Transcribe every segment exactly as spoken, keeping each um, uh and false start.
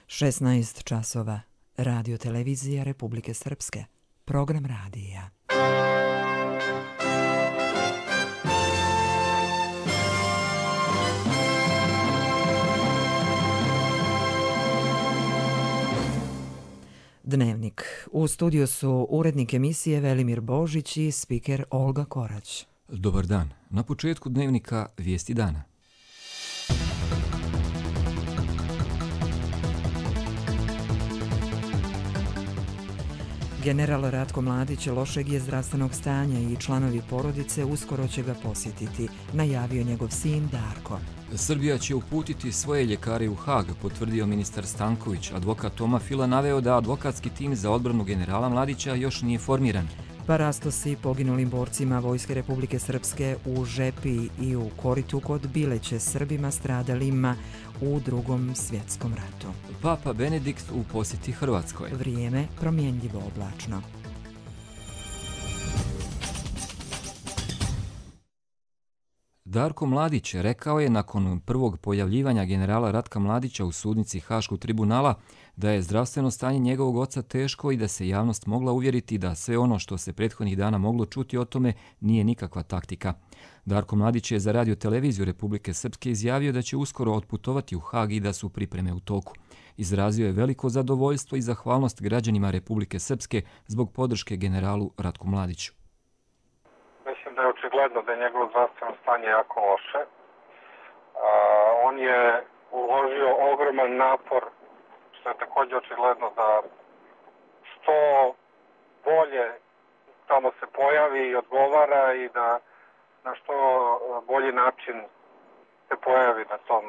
šesnaest časova. Radio televizija Republike Srpske. Program radija. Dnevnik. U studiju su urednik emisije Velimir Božić i spiker Olga Korać. Dobar dan. Na početku dnevnika vijesti dana. General Ratko Mladić lošeg je zdravstvenog stanja i članovi porodice uskoro će ga posjetiti, najavio njegov sin Darko. Srbija će uputiti svoje ljekare u Hag, potvrdio ministar Stanković. Advokat Toma Fila naveo da advokatski tim za odbranu generala Mladića još nije formiran. Parastosi poginulim borcima Vojske Republike Srpske u Žepi i u Koritu kod Bileće, Srbima stradalima u Drugom svjetskom ratu. Papa Benedikt u posjeti Hrvatskoj. Vrijeme promjenljivo oblačno. Darko Mladić rekao je nakon prvog pojavljivanja generala Ratka Mladića u sudnici Haškog tribunala da je zdravstveno stanje njegovog oca teško i da se javnost mogla uvjeriti da sve ono što se prethodnih dana moglo čuti o tome nije nikakva taktika. Darko Mladić je za radio televiziju Republike Srpske izjavio da će uskoro otputovati u Hag i da su pripreme u toku. Izrazio je veliko zadovoljstvo i zahvalnost građanima Republike Srpske zbog podrške generalu Ratku Mladiću. Mislim da je očigledno da je njegovo zdravstveno stanje jako loše. A, on je uložio ogroman napor, što je također očigledno da što bolje tamo se pojavi i odgovara i da na što bolji način se pojavi na tom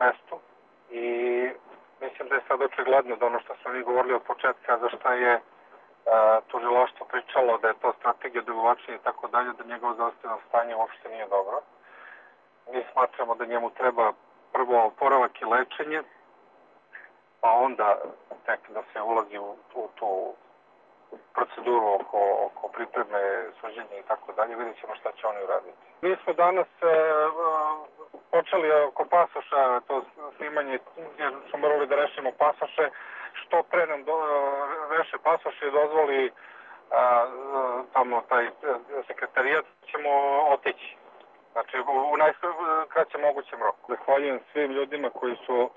mestu. I mislim da je sad očigledno da ono što smo mi govorili od početka, za šta je tužilaštvo pričalo da je to strategija odugovlačenja i tako dalje, da njegovo zdravstveno stanje uopšte nije dobro. Mi smatramo da njemu treba prvo oporavak i lečenje, pa onda tek da se ulazi u tu, tu proceduru oko, oko pripreme, suđenja i tako dalje. Vidjet ćemo šta će oni uraditi. Mi smo danas e, počeli oko pasoša, to snimanje, jer smo morali da rešimo pasoše. Što pre nam do, reše pasoše i dozvoli a, a, tamo taj sekretarijat, ćemo otići. Znači, u, u najkraćem mogućem roku. Zahvaljujem svim ljudima koji su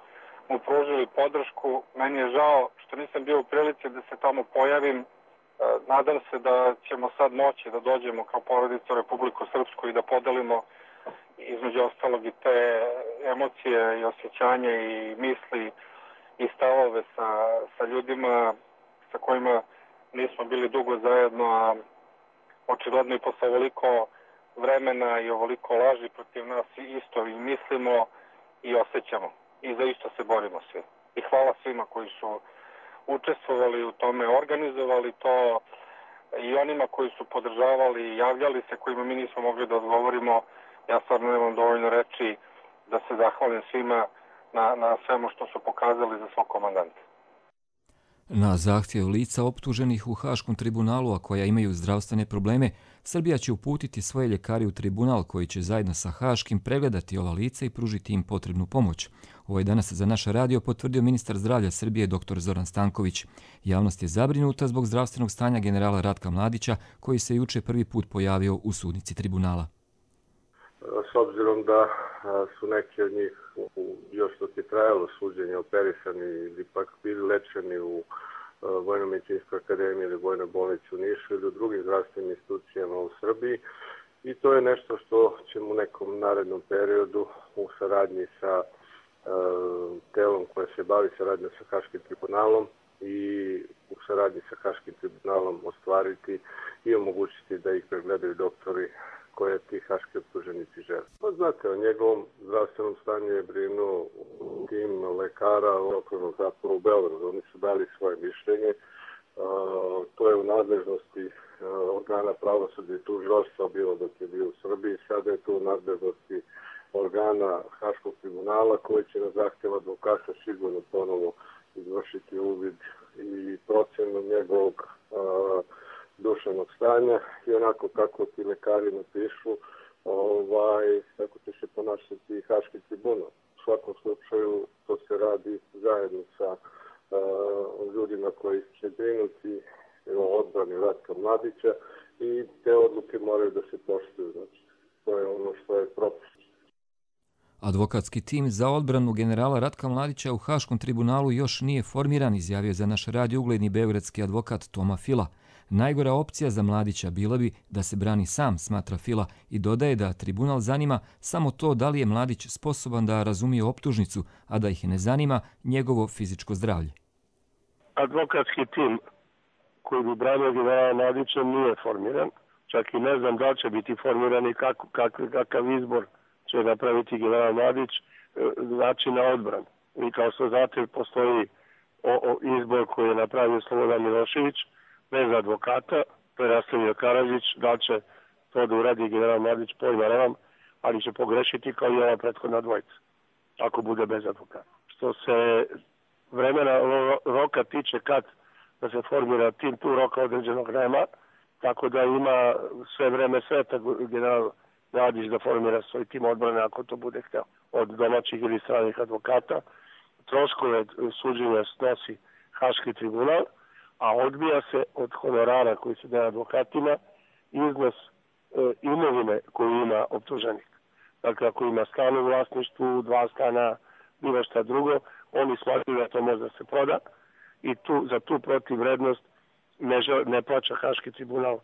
mu pružili podršku. Meni je žao što nisam bio u prilici da se tamo pojavim. Nadam se da ćemo sad moći da dođemo kao porodica u Republiku Srpsku i da podelimo između ostalog i te emocije i osjećanja i misli i stavove sa, sa ljudima sa kojima nismo bili dugo zajedno, a očigledno i posle ovoliko vremena i ovoliko laži protiv nas isto i mislimo i osjećamo. I za isto se borimo svi. I hvala svima koji su učestvovali u tome, organizovali to i onima koji su podržavali i javljali se, kojima mi nismo mogli da odgovorimo. Ja stvarno nemam dovoljno reči da se zahvalim svima na, na svemu što su pokazali za svog komandanta. Na zahtjev lica optuženih u Haškom tribunalu, a koja imaju zdravstvene probleme, Srbija će uputiti svoje ljekare u tribunal koji će zajedno sa Haškim pregledati ova lica i pružiti im potrebnu pomoć. Ovo je danas za naš radio potvrdio ministar zdravlja Srbije dr Zoran Stanković. Javnost je zabrinuta zbog zdravstvenog stanja generala Ratka Mladića, koji se juče prvi put pojavio u sudnici tribunala. S obzirom da su neki od njih još dok je trajalo suđenje operisani ili pak bili lečeni u Vojno-medicinskoj akademiji ili Vojnoj bolnici u Nišu ili u drugim zdravstvenim institucijama u Srbiji. I to je nešto što ćemo u nekom narednom periodu u saradnji sa uh, telom koje se bavi saradnjom sa Haškim tribunalom i u saradnji sa Haškim tribunalom ostvariti i omogućiti da ih pregledaju doktori koje ti haški optuženici žele. Pa znate, o njegovom zdravstvenom stanju je brinuo tim lekara u okružnom zatvoru u Beogradu. Oni su dali svoje mišljenje. Uh, to je u nadležnosti uh, organa pravosuđa i tužilaštva bilo dok je bio u Srbiji. Sada je to u nadležnosti organa Haškog tribunala koji će na zahtjev advokata sigurno ponovo izvršiti uvid i procenu njegovog uh, duševnog stanja i onako kako ti lekari napišu, ovaj, kako će se ponašati Haški tribunal. U svakom slučaju to se radi bi zajedno sa uh, ljudima koji će brinuti o odbrani Ratka Mladića i te odluke moraju da se poštuju. Znači, to je ono što je propis. Advokatski tim za odbranu generala Ratka Mladića u Haškom tribunalu još nije formiran, izjavio za naš radio ugledni beogradski advokat Toma Fila. Najgora opcija za Mladića bila bi da se brani sam, smatra Fila, i dodaje da tribunal zanima samo to da li je Mladić sposoban da razumije optužnicu, a da ih ne zanima njegovo fizičko zdravlje. Advokatski tim koji bi branio generala Mladića nije formiran. Čak i ne znam da li će biti formiran i kak, kak, kakav izbor će napraviti general Mladić, način na odbranu. I kao što znate, postoji o, o izbor koji je napravio Slobodan Milošević, bez advokata, to je nastavio Karadžić, da će to da uradi general Mladić, pojma nemam, ali će pogrešiti kao i ova prethodna dvojica, ako bude bez advokata. Što se vremena roka tiče kad da se formira tim, tu roka određenog nema, tako da ima sve vreme sveta general Mladić da formira svoj tim odbrane ako to bude hteo, od domaćih ili stranih advokata. Troškove suđenja snosi Haški tribunal, a odbija se od honorara koji se daje advokatima iznos e, imovine koju ima optuženik. Dakle, ako ima stan u vlasništvu, dva stana, bilo šta drugo, oni smatruju da to može da se proda i tu, za tu protivvrednost ne, ne plaća Haški tribunal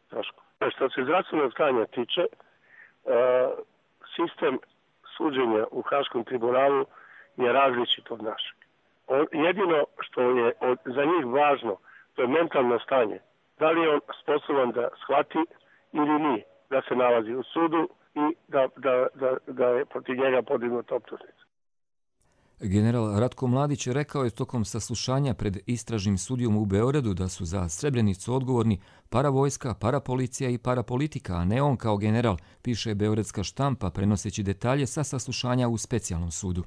troškove. Što se zdravstvenog stanja tiče, e, sistem suđenja u Haškom tribunalu je različit od našeg. Jedino što je od, za njih važno, to je mentalno stanje. Da li je on sposoban da shvati ili nije, da se nalazi u sudu i da, da, da, da je protiv njega podignuta optužnica. General Ratko Mladić rekao je tokom saslušanja pred istražnim sudijom u Beogradu da su za Srebrenicu odgovorni paravojska, parapolicija i parapolitika, a ne on kao general, piše beogradska štampa prenoseći detalje sa saslušanja u specijalnom sudu.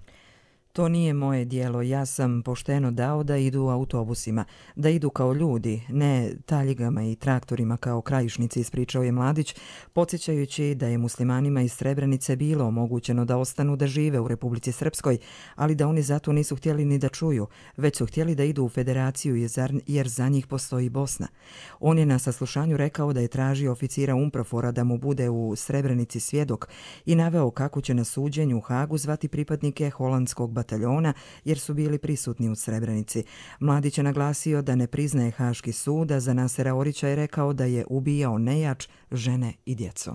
To nije moje dijelo, ja sam pošteno dao da idu autobusima, da idu kao ljudi, ne taljigama i traktorima kao krajišnici, ispričao je Mladić, podsjećajući da je muslimanima iz Srebrenice bilo omogućeno da ostanu da žive u Republici Srpskoj, ali da oni zato nisu htjeli ni da čuju, već su htjeli da idu u federaciju jer za njih postoji Bosna. On je na saslušanju rekao da je tražio oficira Umprofora da mu bude u Srebrenici svjedok i naveo kako će na suđenju u Hagu zvati pripadnike holandskog bataljona jer su bili prisutni u Srebrenici. Mladić je naglasio da ne priznaje Haški sud, a za Nasera Orića je rekao da je ubijao nejač, žene i djecu.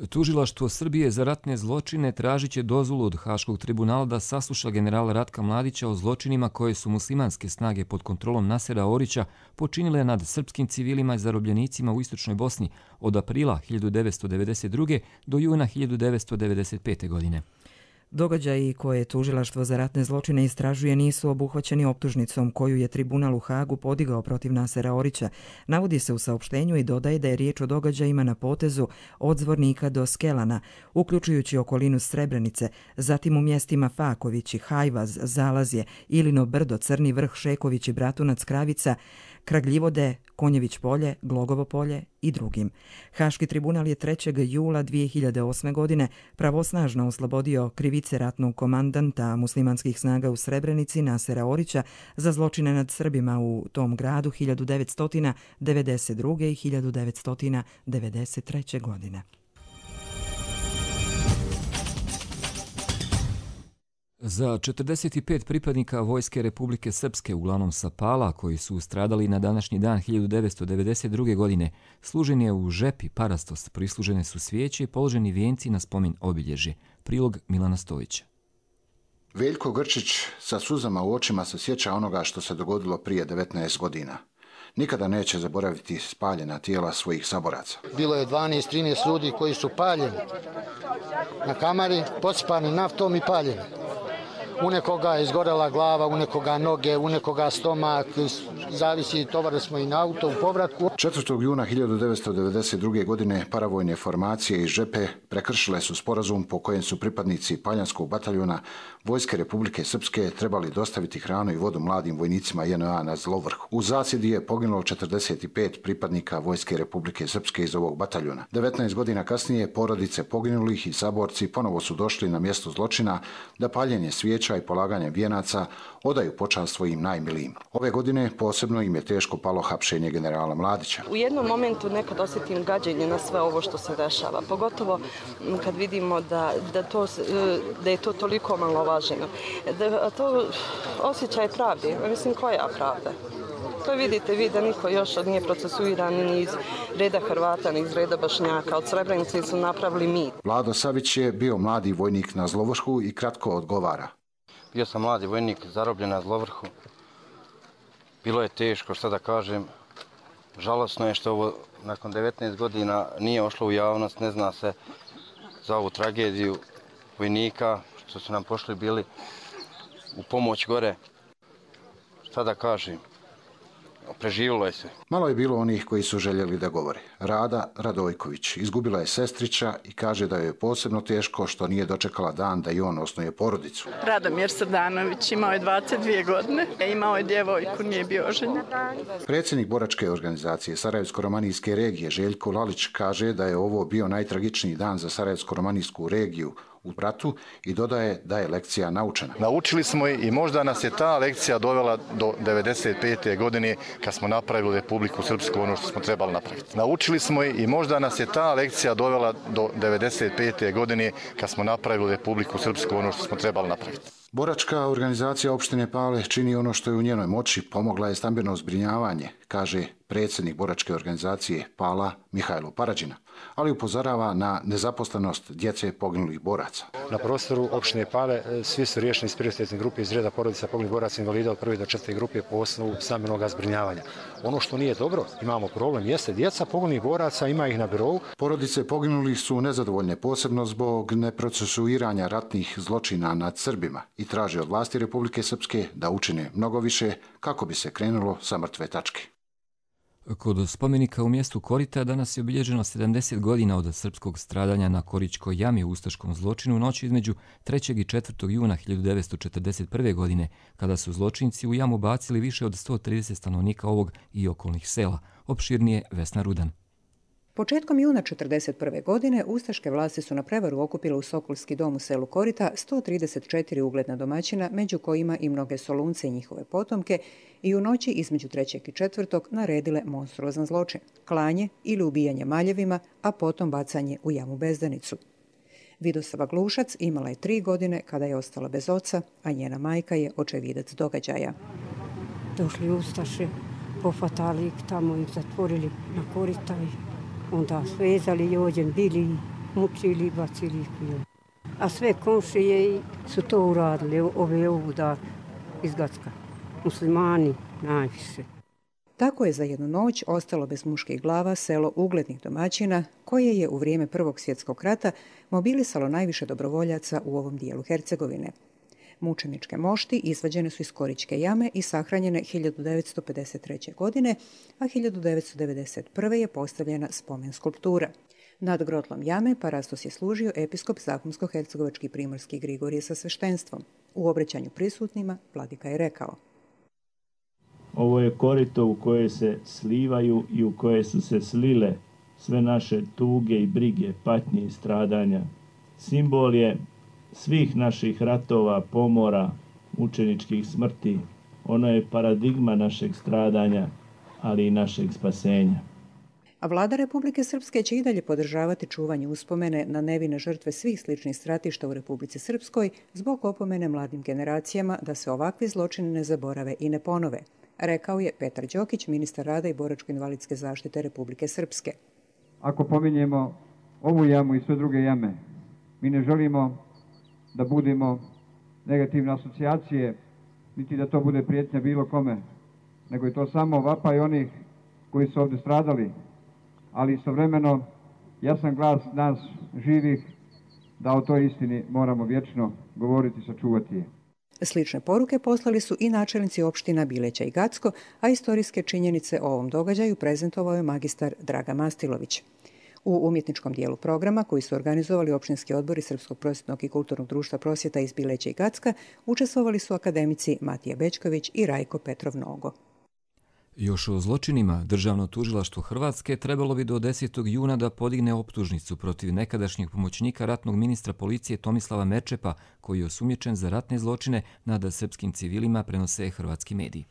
Tužilaštvo Srbije za ratne zločine tražit će dozvolu od Haškog tribunala da sasluša generala Ratka Mladića o zločinima koje su muslimanske snage pod kontrolom Nasera Orića počinile nad srpskim civilima i zarobljenicima u Istočnoj Bosni od aprila hiljadu devetsto devedeset druge. do juna hiljadu devetsto devedeset pete. godine. Događaji koje Tužilaštvo za ratne zločine istražuje nisu obuhvaćeni optužnicom koju je tribunal u Hagu podigao protiv Nasera Orića. Navodi se u saopštenju i dodaje da je riječ o događajima na potezu od Zvornika do Skelana, uključujući okolinu Srebrenice, zatim u mjestima Fakovići, Hajvaz, Zalazje, Ilino brdo, Crni vrh, Šeković i Bratunac, Kravica, Kragljivode, Konjević polje, Glogovo polje i drugim. Haški tribunal je trećeg jula dvije hiljade osme. godine pravosnažno oslobodio krivice ratnog komandanta muslimanskih snaga u Srebrenici Nasera Orića za zločine nad Srbima u tom gradu hiljadu devetsto devedeset druge. i hiljadu devetsto devedeset treće. godine. Za četrdeset pet pripadnika Vojske Republike Srpske, uglavnom sa Pala, koji su stradali na današnji dan hiljadu devetsto devedeset druge. godine, služen je u Žepi Parastos, prislužene su svijeće i položeni vijenci na spomen obilježje. Prilog Milana Stojića. Veljko Grčić sa suzama u očima se sjeća onoga što se dogodilo prije devetnaest godina. Nikada neće zaboraviti spaljena tijela svojih saboraca. Bilo je dvanaest trinaest ljudi koji su paljeni na kamari, posipani naftom i paljeni. U nekoga je izgorela glava, u nekoga noge, u nekoga stomak, zavisi, tovarili smo i na auto u povratku. četvrtog juna hiljadu devetsto devedeset druge. godine paravojne formacije iz Žepe prekršile su sporazum po kojem su pripadnici Paljanskog bataljona Vojske Republike Srpske trebali dostaviti hranu i vodu mladim vojnicima J N A na Zlovrh. U zasjedi je poginulo četrdeset pet pripadnika Vojske Republike Srpske iz ovog bataljona. devetnaest godina kasnije porodice poginulih i saborci ponovo su došli na mjesto zločina da paljenje svijeća cvijeća i polaganjem vijenaca odaju počast svojim najmilijim. Ove godine posebno im je teško palo hapšenje generala Mladića. U jednom momentu nekad osjetim gađenje na sve ovo što se dešava, pogotovo kad vidimo da, da, to, da je to toliko malovaženo. Da, to osjećaj pravde, mislim koja pravda? To vidite vi da niko još nije procesuiran ni iz reda Hrvata, ni iz reda Bošnjaka. Od Srebrenice su napravili mit. Vlado Savić je bio mladi vojnik na Zlovrhu i kratko odgovara. Bio sam mladi vojnik, zarobljen na Zlovrhu. Bilo je teško, šta da kažem. Žalosno je što ovo nakon devetnaest godina nije ošlo u javnost, ne zna se za ovu tragediju vojnika, što su nam pošli bili u pomoć gore. Šta da kažem. Preživjelo je se. Malo je bilo onih koji su željeli da govore. Rada Radojković izgubila je sestrića i kaže da joj je posebno teško što nije dočekala dan da i on osnuje porodicu. Radomir Srdanović imao je dvadeset dvije godine, imao je djevojku, nije bio oženjen. Predsjednik boračke organizacije Sarajevsko-romanijske regije Željko Lalić kaže da je ovo bio najtragičniji dan za Sarajevsko-romanijsku regiju u ratu i dodaje da je lekcija naučena. Naučili smo i možda nas je ta lekcija dovela do devedeset pete godine kad smo napravili Republiku Srpsku, ono što smo trebali napraviti. Naučili smo i možda nas je ta lekcija dovela do devedeset pete godine kad smo napravili Republiku Srpsku, ono što smo trebali napraviti. Boračka organizacija opštine Pale čini ono što je u njenoj moći, pomogla je stambeno zbrinjavanje, kaže predsjednik boračke organizacije Pala Mihajlo Parađina, ali upozorava na nezaposlenost djece poginulih boraca. Na prostoru opštine Pale svi su riješeni iz prioritetne grupe iz reda porodica poginulih boraca invalida od prve do četvrte grupe po osnovu stambenog zbrinjavanja. Ono što nije dobro, imamo problem, jeste djeca poginulih boraca, ima ih na birou. Porodice poginulih su nezadovoljne posebno zbog neprocesuiranja ratnih zločina nad Srbima i traže od vlasti Republike Srpske da učine mnogo više kako bi se krenulo sa mrtve tačke. Kod spomenika u mjestu Korita danas je obilježeno sedamdeset godina od srpskog stradanja na Koričkoj jami u ustaškom zločinu u noći između trećeg i četvrtog juna hiljadu devetsto četrdeset prve. godine, kada su zločinci u jamu bacili više od sto trideset stanovnika ovog i okolnih sela. Opširnije Vesna Rudan. Početkom juna četrdeset prve. godine ustaške vlasti su na prevaru okupile u Sokolski dom u selu Korita sto trideset četiri ugledna domaćina, među kojima i mnoge Solunce i njihove potomke, i u noći između trećeg i četvrtog naredile monstruozan zločin, klanje ili ubijanje maljevima, a potom bacanje u jamu Bezdanicu. Vidosava Glušac imala je tri godine kada je ostala bez oca, a njena majka je očevidac događaja. Došli ustaše, pofatali ih tamo i zatvorili na Korita i onda svezali i ođen bili, mučili i bacili ih. A sve komšije su to uradili, ove ovuda iz Gacka. Muslimani najviše. Tako je za jednu noć ostalo bez muških glava selo uglednih domaćina, koje je u vrijeme Prvog svjetskog rata mobilisalo najviše dobrovoljaca u ovom dijelu Hercegovine. Mučeničke mošti izvađene su iz Koričke jame i sahranjene hiljadu devetsto pedeset treće. godine, a hiljadu devetsto devedeset prve. je postavljena spomen skulptura. Nad grotlom jame parastos je služio episkop Zahumsko-hercegovački primorski Grigorije sa sveštenstvom. U obraćanju prisutnima vladika je rekao: Ovo je korito u koje se slivaju i u koje su se slile sve naše tuge i brige, patnje i stradanja. Simbol je svih naših ratova, pomora, mučeničkih smrti. Ono je paradigma našeg stradanja, ali i našeg spasenja. A vlada Republike Srpske će i dalje podržavati čuvanje uspomene na nevine žrtve svih sličnih stratišta u Republici Srpskoj zbog opomene mladim generacijama da se ovakvi zločini ne zaborave i ne ponove, rekao je Petar Đokić, ministar rada i boračko-invalidske zaštite Republike Srpske. Ako pominjemo ovu jamu i sve druge jame, mi ne želimo da budemo negativne asocijacije, niti da to bude prijetnja bilo kome, nego je to samo vapaj onih koji su ovdje stradali, ali istovremeno jasan glas nas živih da o toj istini moramo vječno govoriti i sačuvati je. Slične poruke poslali su i načelnici opština Bileća i Gacko, a istorijske činjenice o ovom događaju prezentovao je magistar Draga Mastilović. U umjetničkom dijelu programa, koji su organizovali opštinski odbori Srpskog prosvjetnog i kulturnog društva prosvjeta iz Bileća i Gacka, učestvovali su akademici Matija Bečković i Rajko Petrov Nogo. Još o zločinima Državno tužilaštvo Hrvatske trebalo bi do desetog juna da podigne optužnicu protiv nekadašnjeg pomoćnika ratnog ministra policije Tomislava Merčepa, koji je osumnjičen za ratne zločine nad srpskim civilima, prenose hrvatski mediji.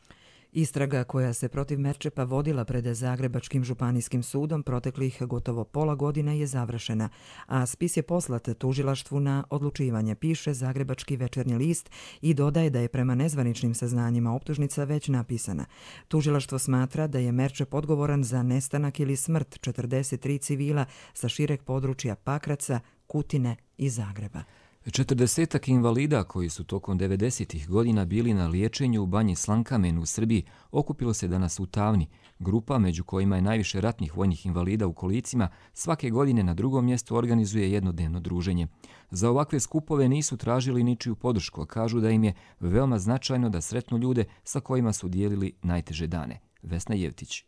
Istraga koja se protiv Merčepa vodila pred Zagrebačkim županijskim sudom proteklih gotovo pola godine je završena, a spis je poslat tužilaštvu na odlučivanje, piše Zagrebački večernji list i dodaje da je prema nezvaničnim saznanjima optužnica već napisana. Tužilaštvo smatra da je Merčep odgovoran za nestanak ili smrt četrdeset tri civila sa šireg područja Pakraca, Kutine i Zagreba. Četrdesetak invalida koji su tokom devedesetih godina bili na liječenju u Banji Slankamen u Srbiji okupilo se danas u Tavni. Grupa, među kojima je najviše ratnih vojnih invalida u kolicima, svake godine na drugom mjestu organizuje jednodnevno druženje. Za ovakve skupove nisu tražili ničiju podršku, a kažu da im je veoma značajno da sretnu ljude sa kojima su dijelili najteže dane. Vesna Jevtić.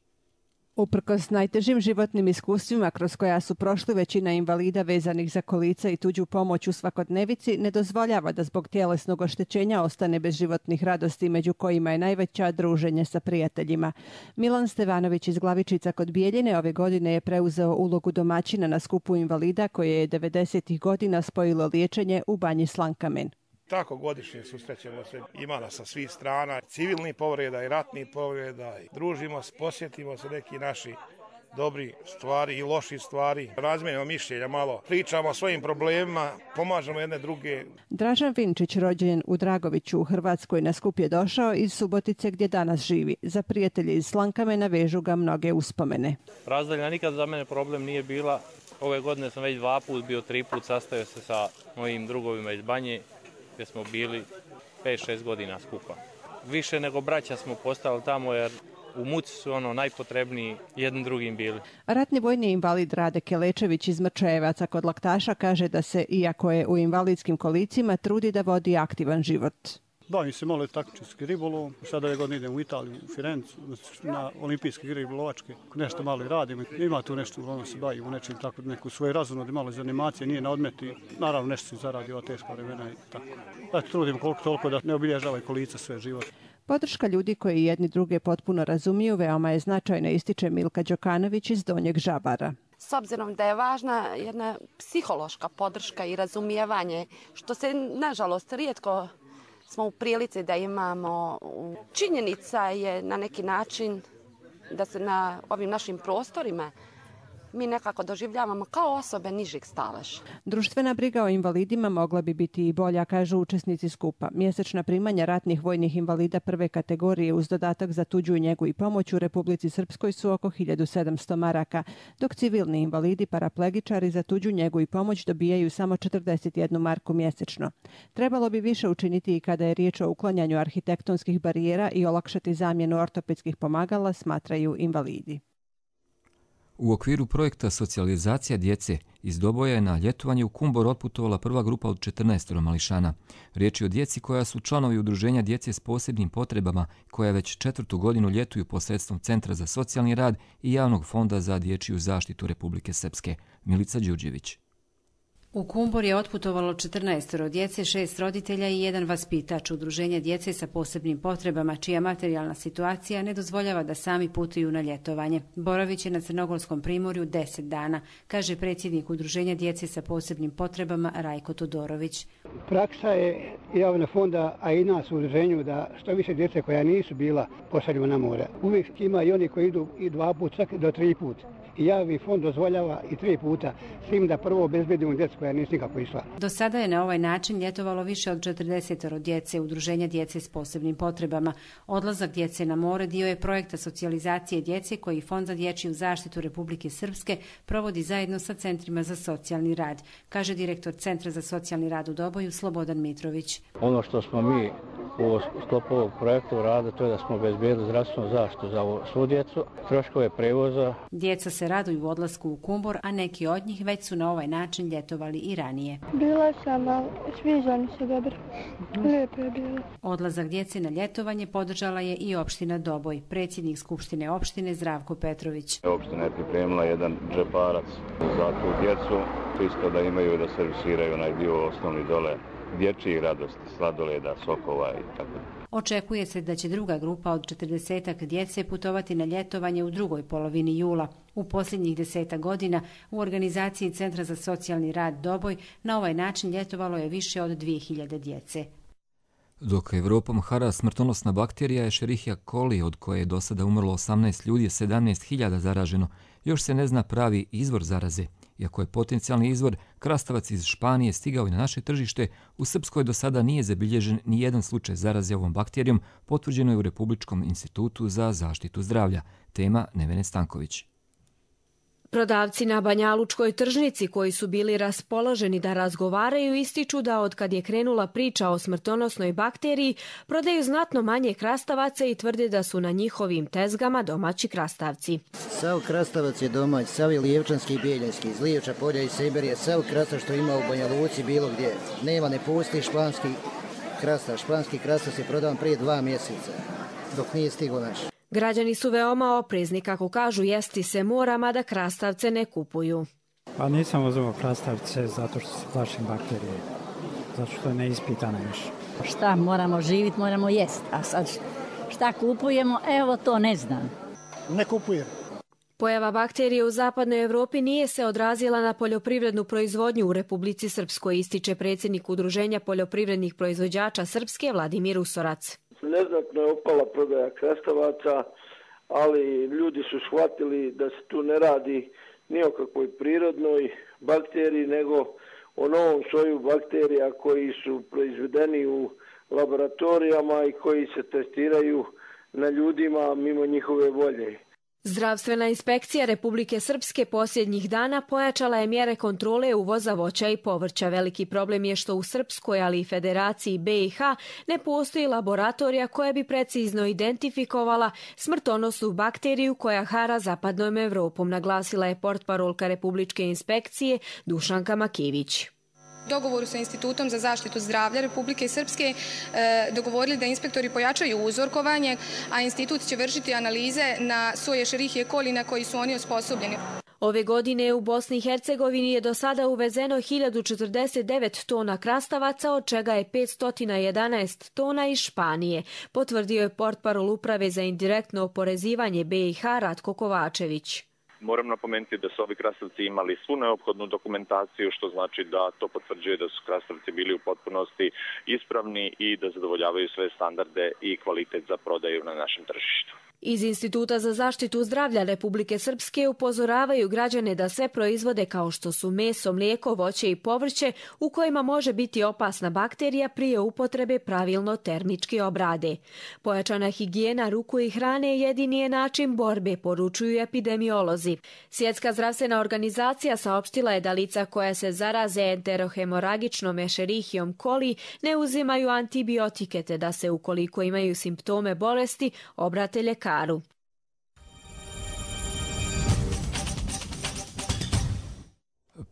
Uprkos najtežim životnim iskustvima kroz koja su prošli, većina invalida vezanih za kolica i tuđu pomoć u svakodnevici ne dozvoljava da zbog tjelesnog oštećenja ostane bez životnih radosti, među kojima je najveća druženje sa prijateljima. Milan Stevanović iz Glavičica kod Bijeljine ove godine je preuzeo ulogu domaćina na skupu invalida koje je devedesetih godina spojilo liječenje u Banji Slankamen. Tako godišnje susrećemo se, ima nas sa svih strana, civilnih povreda i ratnih povreda, družimo se, posjetimo se neki naši dobri stvari i loši stvari, razmijenimo mišljenja malo, pričamo o svojim problemima, pomažemo jedne druge. Dražan Vinčić, rođen u Dragoviću u Hrvatskoj, na skup je došao iz Subotice gdje danas živi. Za prijatelje iz Slankamena vežu ga mnoge uspomene. Razdaljina nikad za mene problem nije bila. Ove godine sam već dva put bio, tri put sastavio se sa mojim drugovima iz Banje, gdje smo bili pet šest godina skupa. Više nego braća smo postali tamo jer u muci su ono najpotrebniji jednim drugim bili. Ratni vojni invalid Rade Kelečević iz Mrčajevaca kod Laktaša kaže da se, iako je u invalidskim kolicima, trudi da vodi aktivan život. Bavim se malo taktički ribolov, sada ove godine idem u Italiju, u Firencu, na olimpijske igre ribolovačke, nešto malo i radim. Ima tu nešto, ono se bavim u nečem tako, neku svoju razumnu, malo iz animacije, nije na odmeti, naravno nešto se zaradi ova teška vremena i tako. Eto, trudim koliko toliko da ne obilježava i kolica sve život. Podrška ljudi koji jedni druge potpuno razumiju veoma je značajna, ističe Milka Đokanović iz Donjeg Žabara. S obzirom da je važna jedna psihološka podrška i razumijevanje, što se nažalost rijetko smo u prilici da imamo. Činjenica je na neki način da se na ovim našim prostorima mi nekako doživljavamo kao osobe nižeg staleža. Društvena briga o invalidima mogla bi biti i bolja, kažu učesnici skupa. Mjesečna primanja ratnih vojnih invalida prve kategorije uz dodatak za tuđu njegu i pomoć u Republici Srpskoj su oko hiljadu sedamsto maraka, dok civilni invalidi paraplegičari za tuđu njegu i pomoć dobijaju samo četrdeset jednu marku mjesečno. Trebalo bi više učiniti i kada je riječ o uklanjanju arhitektonskih barijera i olakšati zamjenu ortopedskih pomagala, smatraju invalidi. U okviru projekta socijalizacija djece iz Doboja je na ljetovanje u Kumbor otputovala prva grupa od četrnaest mališana. Riječ je o djeci koja su članovi udruženja djece s posebnim potrebama, koja već četvrtu godinu ljetuju posredstvom Centra za socijalni rad i Javnog fonda za dječju zaštitu Republike Srpske. Milica Đurđević. U Kumbor je otputovalo četrnaestoro djece, šest roditelja i jedan vaspitač udruženja djece sa posebnim potrebama, čija materijalna situacija ne dozvoljava da sami putuju na ljetovanje. Boravit će na Crnogorskom primorju deset dana, kaže predsjednik udruženja djece sa posebnim potrebama Rajko Todorović. Praksa je Javnog fonda, a i nas u udruženju, da što više djece koja nisu bila pošaljimo na more. Uvijek ima i oni koji idu i dva puta, čak do tri puta. I Javni fond dozvoljava i tri puta svim da prvo obezbedimo djecu koja nisu nikako išla. Do sada je na ovaj način ljetovalo više od četrdesetoro djece udruženja djece s posebnim potrebama. Odlazak djece na more dio je projekta socijalizacije djece koji Fond za dječju zaštitu Republike Srpske provodi zajedno sa centrima za socijalni rad, kaže direktor Centra za socijalni rad u Doboju Slobodan Mitrović. Ono što smo mi u sklopu ovog projekta uradili, to je da smo obezbedili zdravstvenu zaštitu za svu djecu, troškove prevoza. Djeca se raduju u odlasku u Kumbor, a neki od njih već su na ovaj način ljetovali i ranije. Bila sam, ali sviđa mi se dobro. Lijepo je bilo. Odlazak djece na ljetovanje podržala je i opština Doboj. Predsjednik Skupštine opštine Zdravko Petrović. Opština je pripremila jedan džeparac za tu djecu, isto da imaju da servisiraju onaj dio osnovni dole dječjih radosti, sladoleda, sokova i tako. Očekuje se da će druga grupa od četrdesetak djece putovati na ljetovanje u drugoj polovini jula. U posljednjih desetak godina u organizaciji Centra za socijalni rad Doboj na ovaj način ljetovalo je više od dvije hiljade djece. Dok Evropom hara smrtonosna bakterija Escherichia coli, od koje je do sada umrlo osamnaest ljudi, sedamnaest hiljada zaraženo, još se ne zna pravi izvor zaraze. Iako je potencijalni izvor krastavac iz Španije stigao i na naše tržište, u Srpskoj do sada nije zabilježen ni jedan slučaj zaraze ovom bakterijom, potvrđeno je u Republičkom institutu za zaštitu zdravlja. Tema Nevene Stanković. Prodavci na Banjalučkoj tržnici koji su bili raspoloženi da razgovaraju ističu da od kad je krenula priča o smrtonosnoj bakteriji prodaju znatno manje krastavaca i tvrde da su na njihovim tezgama domaći krastavci. Sav krastavac je domać, sav je lijevčanski i bijeljinski, iz Lijevča, Polja i Siberije, sav krastav što ima u Banja Luci bilo gdje. Nema, ne pusti španski krastav. Španski krastav se prodavan prije dva mjeseca, dok nije stigo naš. Građani su veoma oprezni, kako kažu, jesti se mora, mada krastavce ne kupuju. Pa nisam uzeo krastavce zato što se plašim bakterije, zato što je neispitano još. Šta moramo živjeti, moramo jesti, a sad šta kupujemo, evo to ne znam. Ne kupujem. Pojava bakterije u zapadnoj Evropi nije se odrazila na poljoprivrednu proizvodnju u Republici Srpskoj, ističe predsjednik Udruženja poljoprivrednih proizvođača Srpske Vladimir Usorac. Neznatno je opala prodaja krastavaca, ali ljudi su shvatili da se tu ne radi ni o kakvoj prirodnoj bakteriji, nego o novom soju bakterija koji su proizvedeni u laboratorijama i koji se testiraju na ljudima mimo njihove volje. Zdravstvena inspekcija Republike Srpske posljednjih dana pojačala je mjere kontrole uvoza voća i povrća. Veliki problem je što u Srpskoj, ali i Federaciji B i H ne postoji laboratorija koja bi precizno identifikovala smrtonosnu bakteriju koja hara zapadnom Evropom, naglasila je portparolka Republičke inspekcije Dušanka Makivić. Dogovoru sa Institutom za zaštitu zdravlja Republike Srpske dogovorili da inspektori pojačaju uzorkovanje, a institut će vršiti analize na soje Escherichie coli na koji su oni osposobljeni. Ove godine u Bosni i Hercegovini je do sada uvezeno hiljadu četrdeset devet tona krastavaca, od čega je petsto jedanaest tona iz Španije, potvrdio je portparol Uprave za indirektno oporezivanje B i H Ratko Kovačević. Moram napomenuti da su ovi krastavci imali svu neophodnu dokumentaciju, što znači da to potvrđuje da su krastavci bili u potpunosti ispravni i da zadovoljavaju sve standarde i kvalitet za prodaju na našem tržištu. Iz Instituta za zaštitu zdravlja Republike Srpske upozoravaju građane da sve proizvode kao što su meso, mlijeko, voće i povrće u kojima može biti opasna bakterija prije upotrebe pravilno termički obrade. Pojačana higijena ruku i hrane jedini je način borbe, poručuju epidemiolozi. Svjetska zdravstvena organizacija saopštila je da lica koja se zaraze enterohemoragičnom Escherichiom coli ne uzimaju antibiotike, te da se ukoliko imaju simptome bolesti obrate ljekaru.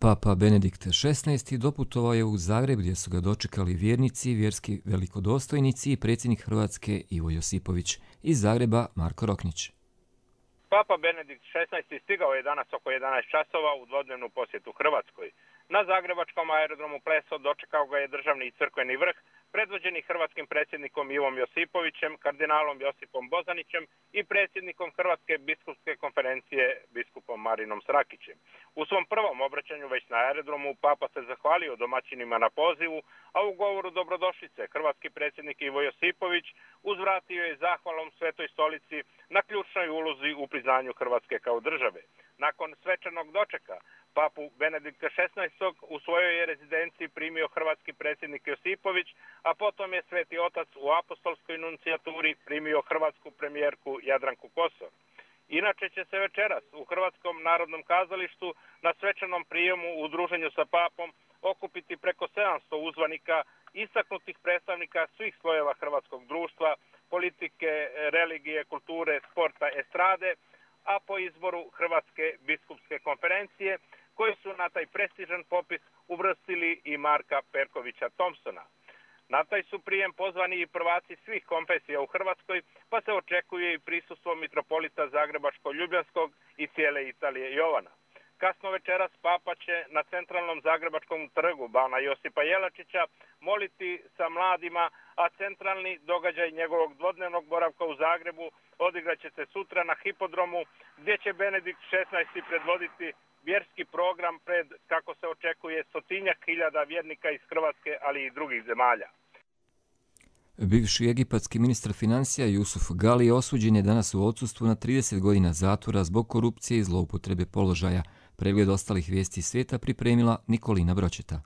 Papa Benedikt šesnaesti doputovao je u Zagreb gdje su ga dočekali vjernici, vjerski velikodostojnici i predsjednik Hrvatske Ivo Josipović. Iz Zagreba Marko Roknić. Papa Benedikt šesnaesti stigao je danas oko jedanaest časova u dvodnevnu posjetu Hrvatskoj. Na zagrebačkom aerodromu Pleso dočekao ga je državni i crkveni vrh, predvođeni hrvatskim predsjednikom Ivom Josipovićem, kardinalom Josipom Bozanićem i predsjednikom Hrvatske biskupske konferencije biskupom Marinom Srakićem. U svom prvom obraćanju već na aerodromu Papa se zahvalio domaćinima na pozivu, a u govoru dobrodošlice hrvatski predsjednik Ivo Josipović uzvratio je zahvalom Svetoj stolici na ključnoj ulozi u priznanju Hrvatske kao države. Nakon svečanog dočeka Papu Benedikta šesnaestog u svojoj je rezidenciji primio hrvatski predsjednik Josipović, a potom je Sveti Otac u apostolskoj nuncijaturi primio hrvatsku premijerku Jadranku Kosor. Inače će se večeras u Hrvatskom narodnom kazalištu na svečanom prijemu u druženju sa papom okupiti preko sedamsto uzvanika, istaknutih predstavnika svih slojeva hrvatskog društva, politike, religije, kulture, sporta, estrade, a po izboru Hrvatske biskupske konferencije, koji su na taj prestižan popis uvrstili i Marka Perkovića Thompsona. Na taj su prijem pozvani i prvaci svih konfesija u Hrvatskoj, pa se očekuje i prisustvo mitropolita Zagrebačko-Ljubljanskog i cijele Italije Jovana. Kasno večeras Papa će na centralnom zagrebačkom trgu Bana Josipa Jelačića moliti sa mladima, a centralni događaj njegovog dvodnevnog boravka u Zagrebu odigraće se sutra na hipodromu, gdje će Benedikt šesnaesti predvoditi vjerski program pred, kako se očekuje, stotinjak hiljada vjernika iz Hrvatske, ali i drugih zemalja. Bivši egipatski ministar financija Jusuf Gali osuđen je danas u odsustvu na trideset godina zatvora zbog korupcije i zloupotrebe položaja. Pregled ostalih vijesti svijeta pripremila Nikolina Bročeta.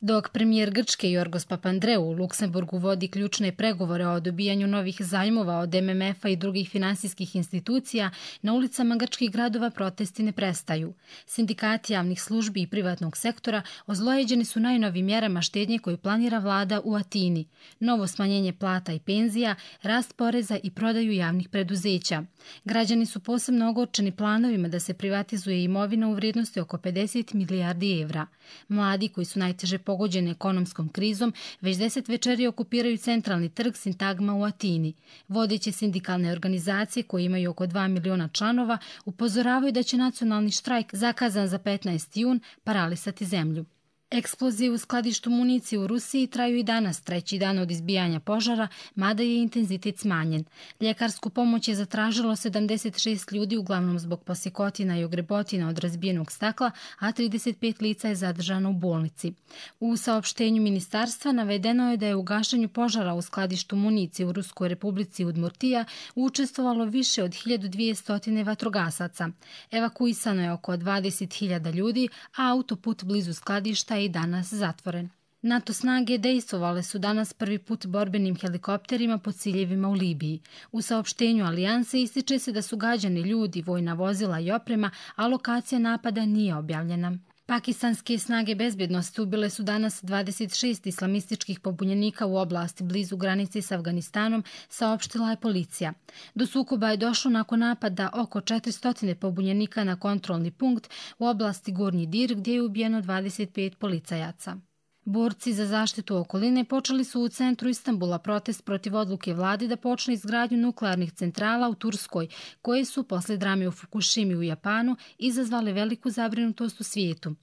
Dok premijer Grčke Jorgos Papandreou u Luksemburgu vodi ključne pregovore o dobijanju novih zajmova od M M F-a i drugih finansijskih institucija, na ulicama grčkih gradova protesti ne prestaju. Sindikati javnih službi i privatnog sektora ozlojeđeni su najnovim mjerama štednje koje planira vlada u Atini. Novo smanjenje plata i penzija, rast poreza i prodaju javnih preduzeća. Građani su posebno ogorčeni planovima da se privatizuje imovina u vrijednosti oko pedeset milijardi evra. Mladi koji su najteže pogođeni ekonomskom krizom, već deset večeri okupiraju centralni trg Sintagma u Atini. Vodeće sindikalne organizacije, koje imaju oko dva miliona članova, upozoravaju da će nacionalni štrajk, zakazan za petnaesti jun, paralisati zemlju. Eksplozije u skladištu municije u Rusiji traju i danas, treći dan od izbijanja požara, mada je intenzitet smanjen. Ljekarsku pomoć je zatražilo sedamdeset šest ljudi, uglavnom zbog posjekotina i ogrebotina od razbijenog stakla, a trideset pet lica je zadržano u bolnici. U saopštenju ministarstva navedeno je da je u gašenju požara u skladištu municije u Ruskoj republici Udmurtija učestvovalo više od hiljadu dvjesto vatrogasaca. Evakuisano je oko dvadeset hiljada ljudi, a autoput blizu skladišta je i danas zatvoren. NATO snage dejstvovale su danas prvi put borbenim helikopterima po ciljevima u Libiji. U saopštenju alijanse ističe se da su gađani ljudi, vojna vozila i oprema, a lokacija napada nije objavljena. Pakistanske snage bezbjednosti ubile su danas dvadeset šest islamističkih pobunjenika u oblasti blizu granice s Afganistanom, saopštila je policija. Do sukoba je došlo nakon napada oko četiristo pobunjenika na kontrolni punkt u oblasti Gornji Dir, gdje je ubijeno dvadeset pet policajaca. Borci za zaštitu okoline počeli su u centru Istanbula protest protiv odluke vlade da počne izgradnju nuklearnih centrala u Turskoj, koje su posle drame u Fukushimi u Japanu izazvale veliku zabrinutost u svijetu.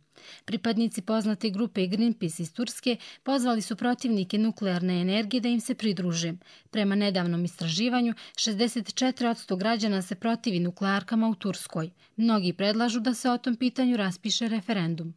Pripadnici poznate grupe Greenpeace iz Turske pozvali su protivnike nuklearne energije da im se pridruže. Prema nedavnom istraživanju, šezdeset četiri posto građana se protivi nuklearkama u Turskoj. Mnogi predlažu da se o tom pitanju raspiše referendum.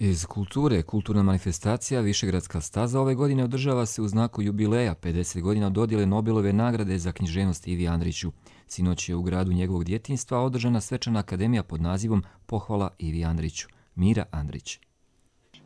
Iz kulture, kulturna manifestacija Višegradska staza ove godine održava se u znaku jubileja pedeset godina od dodjele Nobelove nagrade za književnost Ivi Andriću. Sinoć je u gradu njegovog djetinjstva održana svečana akademija pod nazivom Pohvala Ivi Andriću. Mira Andrić.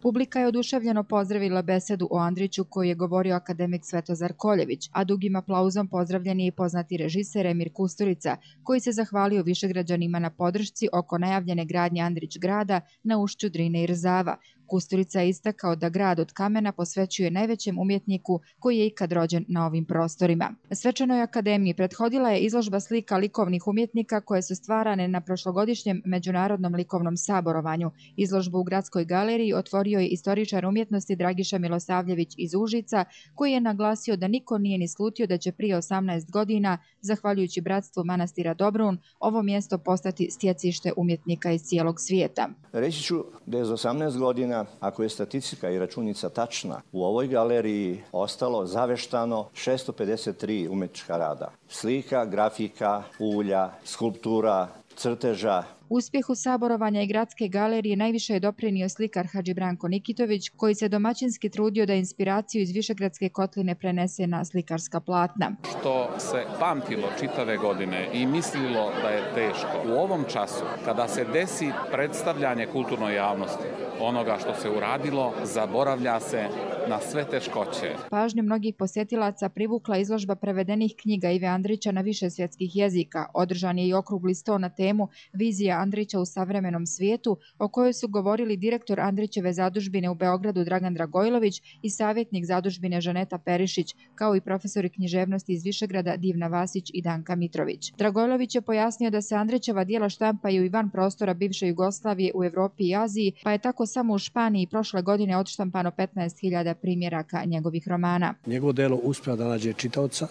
Publika je oduševljeno pozdravila besedu o Andriću koju je govorio akademik Svetozar Koljević, a dugim aplauzom pozdravljen je i poznati režiser Emir Kusturica, koji se zahvalio Višegrađanima na podršci oko najavljene gradnje Andrić grada na ušću Drine i Rzava. Kusturica je istakao da grad od kamena posvećuje najvećem umjetniku koji je ikad rođen na ovim prostorima. Svečanoj akademiji prethodila je izložba slika likovnih umjetnika koje su stvarane na prošlogodišnjem Međunarodnom likovnom saborovanju. Izložbu u Gradskoj galeriji otvorio je istoričar umjetnosti Dragiša Milosavljević iz Užica, koji je naglasio da niko nije ni slutio da će prije osamnaest godina, zahvaljujući bratstvu manastira Dobrun, ovo mjesto postati stjecište umjetnika iz cijelog svijeta. Reći ću da je za osamnaest godina, ako je statistika i računica tačna, u ovoj galeriji ostalo zaveštano šesto pedeset tri umetnička rada. Slika, grafika, ulja, skulptura, crteža. Uspjehu saborovanja i Gradske galerije najviše je doprinio slikar Hadži Branko Nikitović, koji se domaćinski trudio da inspiraciju iz Višegradske kotline prenese na slikarska platna. Što se pamtilo čitave godine i mislilo da je teško, u ovom času, kada se desi predstavljanje kulturnoj javnosti onoga što se uradilo, zaboravlja se na sve teškoće. Pažnju mnogih posjetilaca privukla izložba prevedenih knjiga Ive Andrića na više svjetskih jezika. Održan je i okrugli sto na temu Vizija Andrića u savremenom svijetu, o kojoj su govorili direktor Andrićeve zadužbine u Beogradu Dragan Dragojlović i savjetnik zadužbine Žaneta Perišić, kao i profesori književnosti iz Višegrada Divna Vasić i Danka Mitrović. Dragojlović je pojasnio da se Andrićeva dijela štampaju i van prostora bivše Jugoslavije u Evropi i Aziji, pa je tako samo u Španiji prošle godine odštampano petnaest hiljada primjeraka njegovih romana. Njegovo delo uspeva da nađe čitaoca.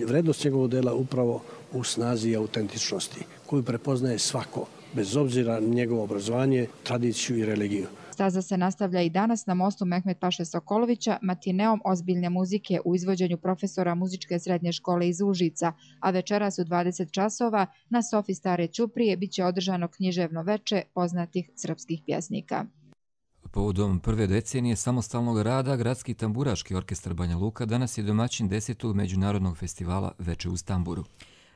Vrednost njegovog dela upravo u snazi i autentičnosti, koju prepoznaje svako, bez obzira na njegovo obrazovanje, tradiciju i religiju. Staza se nastavlja i danas na mostu Mehmet Paše Sokolovića matineom ozbiljne muzike u izvođenju profesora muzičke srednje škole iz Užica, a večeras u dvadeset časova na sofi Stare Ćuprije biće održano književno veče poznatih srpskih pjesnika. Povodom prve decenije samostalnog rada, Gradski tamburaški orkestar Banja Luka danas je domaćin desetog međunarodnog festivala Veče u Stamburu.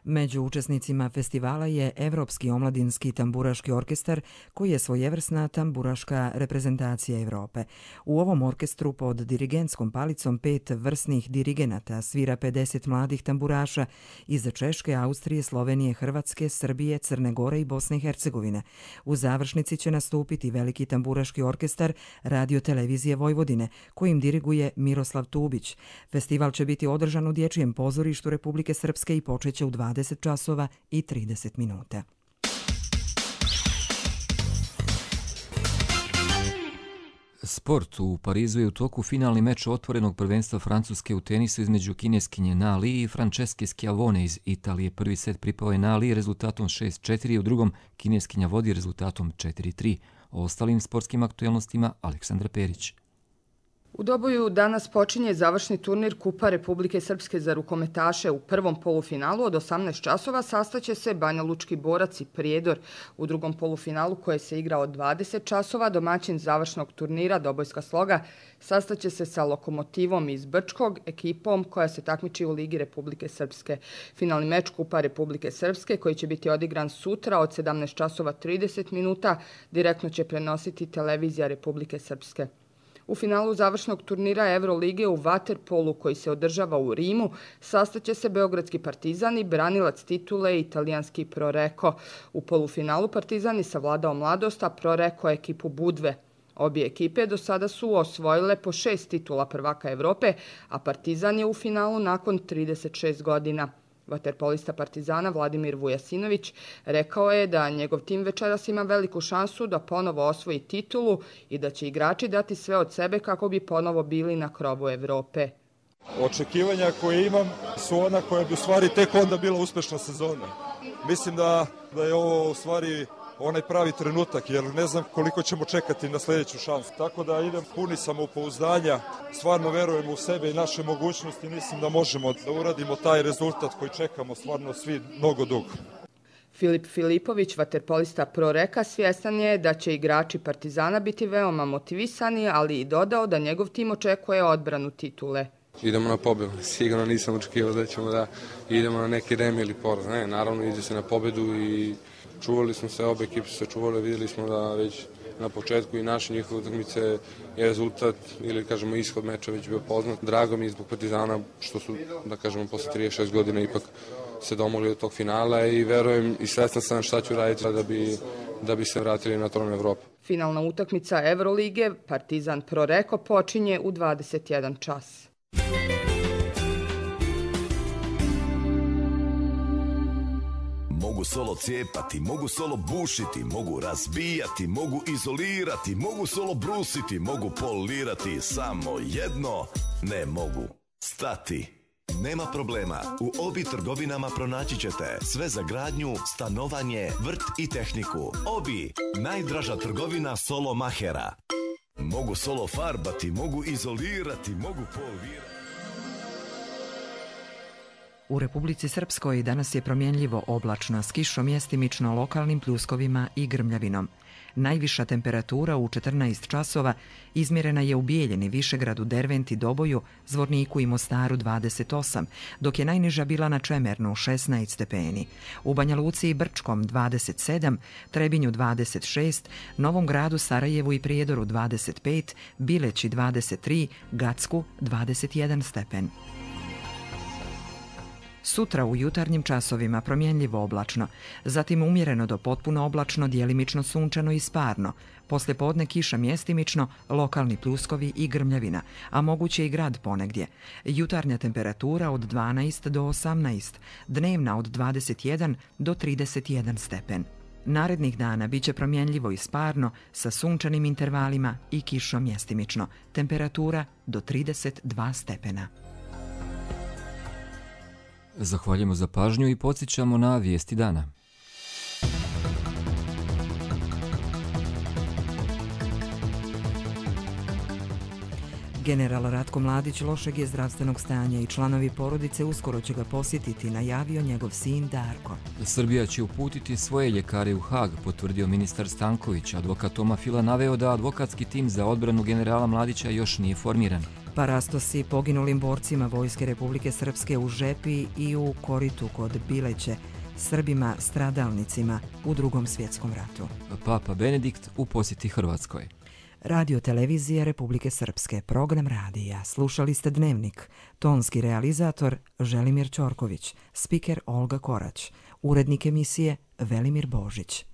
Među učesnicima festivala je Evropski omladinski tamburaški orkestar, koji je svojevrsna tamburaška reprezentacija Evrope. U ovom orkestru pod dirigentskom palicom pet vrsnih dirigenata svira pedeset mladih tamburaša iz Češke, Austrije, Slovenije, Hrvatske, Srbije, Crne Gore i Bosne i Hercegovine. U završnici će nastupiti veliki tamburaški orkestar Radio televizije Vojvodine, kojim diriguje Miroslav Tubić. Festival će biti održan u Dječjem pozorištu Republike Srpske i počeće u dvadeset časova i trideset minuta. Sport. U Parizu je u toku finalni meč otvorenog prvenstva Francuske u tenisu između kineskinje Na Li i Franceske Schiavone iz Italije. Prvi set pripao je Na Li rezultatom šest četiri, u drugom kineskinja vodi rezultatom četiri tri. O ostalim sportskim aktuelnostima Aleksandra Perić. U Doboju danas počinje završni turnir Kupa Republike Srpske za rukometaše. U prvom polufinalu od osamnaest časova sastaće se Banja Lučki Borac i Prijedor. U drugom polufinalu, koje se igra od dvadeset časova, domaćin završnog turnira Dobojska Sloga sastaće se sa Lokomotivom iz Brčkog, ekipom koja se takmiči u Ligi Republike Srpske. Finalni meč Kupa Republike Srpske, koji će biti odigran sutra od sedamnaest časova trideset minuta, direktno će prenositi televizija Republike Srpske. U finalu završnog turnira Evrolige u vaterpolu, koji se održava u Rimu, sastaće se Beogradski Partizan i branilac titule italijanski Proreko. U polufinalu Partizan je savladao Mladost, a Proreko ekipu Budve. Obje ekipe do sada su osvojile po šest titula prvaka Evrope, a Partizan je u finalu nakon trideset šest godina. Vaterpolista Partizana Vladimir Vujasinović rekao je da njegov tim večeras ima veliku šansu da ponovo osvoji titulu i da će igrači dati sve od sebe kako bi ponovo bili na krovu Evrope. Očekivanja koje imam su ona koja bi u stvari tek onda bila uspešna sezona. Mislim da, da je ovo u stvari onaj pravi trenutak, jer ne znam koliko ćemo čekati na sljedeću šansu. Tako da idem puni samopouzdanja, stvarno verujem u sebe i naše mogućnosti, mislim da možemo da uradimo taj rezultat koji čekamo stvarno svi mnogo dugo. Filip Filipović, vaterpolista Proreka, svjestan je da će igrači Partizana biti veoma motivisani, ali i dodao da njegov tim očekuje odbranu titule. Idemo na pobedu. Sigurno nisam očekivao da ćemo da idemo na neki remi ili poraz. Ne, naravno ide se na pobedu i čuvali smo se, obe ekipe su se čuvali, vidjeli smo da već na početku i naše njihove utakmice je rezultat ili kažemo ishod meča već bio poznat. Drago mi je zbog Partizana što su, da kažemo, posle trideset šest godina ipak se domogli do tog finala i verujem i svestan sam šta ću raditi da bi, da bi se vratili na tron Evrope. Finalna utakmica Evrolige Partizan Proreko počinje u dvadeset jedan čas. Mogu solo cijepati, mogu solo bušiti, mogu razbijati, mogu izolirati, mogu solo brusiti, mogu polirati, samo jedno ne mogu stati. Nema problema, u Obi trgovinama pronaći ćete sve za gradnju, stanovanje, vrt i tehniku. Obi, najdraža trgovina solo mahera. Mogu solo farbati, mogu izolirati, mogu polirati. U Republici Srpskoj danas je promjenljivo oblačno s kišom mjestimično lokalnim pljuskovima i grmljavinom. Najviša temperatura u četrnaest časova izmjerena je u Bijeljini, Višegradu, Derventi, Doboju, Zvorniku i Mostaru dvadeset osam, dok je najniža bila na Čemernu šesnaest stepeni. U Banja Luci i Brčkom dvadeset sedam, Trebinju dvadeset šest, Novom Gradu, Sarajevu i Prijedoru dvadeset pet, Bileći dvadeset tri, Gacku dvadeset jedan stepen. Sutra u jutarnjim časovima promjenljivo oblačno, zatim umjereno do potpuno oblačno, djelimično sunčano i sparno. Poslije podne kiša mjestimično, lokalni pljuskovi i grmljavina, a moguće i grad ponegdje. Jutarnja temperatura od dvanaest do osamnaest, dnevna od dvadeset jedan do trideset jedan stepen. Narednih dana bit će promjenljivo i sparno sa sunčanim intervalima i kišom mjestimično. Temperatura do trideset dva stepena. Zahvaljujemo za pažnju i podsjećamo na vijesti dana. General Ratko Mladić lošeg je zdravstvenog stanja i članovi porodice uskoro će ga posjetiti, najavio njegov sin Darko. Srbija će uputiti svoje ljekare u Hag, potvrdio ministar Stanković. Advokat Toma Fila naveo da advokatski tim za odbranu generala Mladića još nije formiran. Parastosi poginulim borcima Vojske Republike Srpske u Žepi i u Koritu kod Bileće, Srbima stradalnicima u Drugom svjetskom ratu. Papa Benedikt u posjeti Hrvatskoj. Radio televizija Republike Srpske, program radija. Slušali ste Dnevnik. Tonski realizator Želimir Ćorković, spiker Olga Korać, urednik emisije Velimir Božić.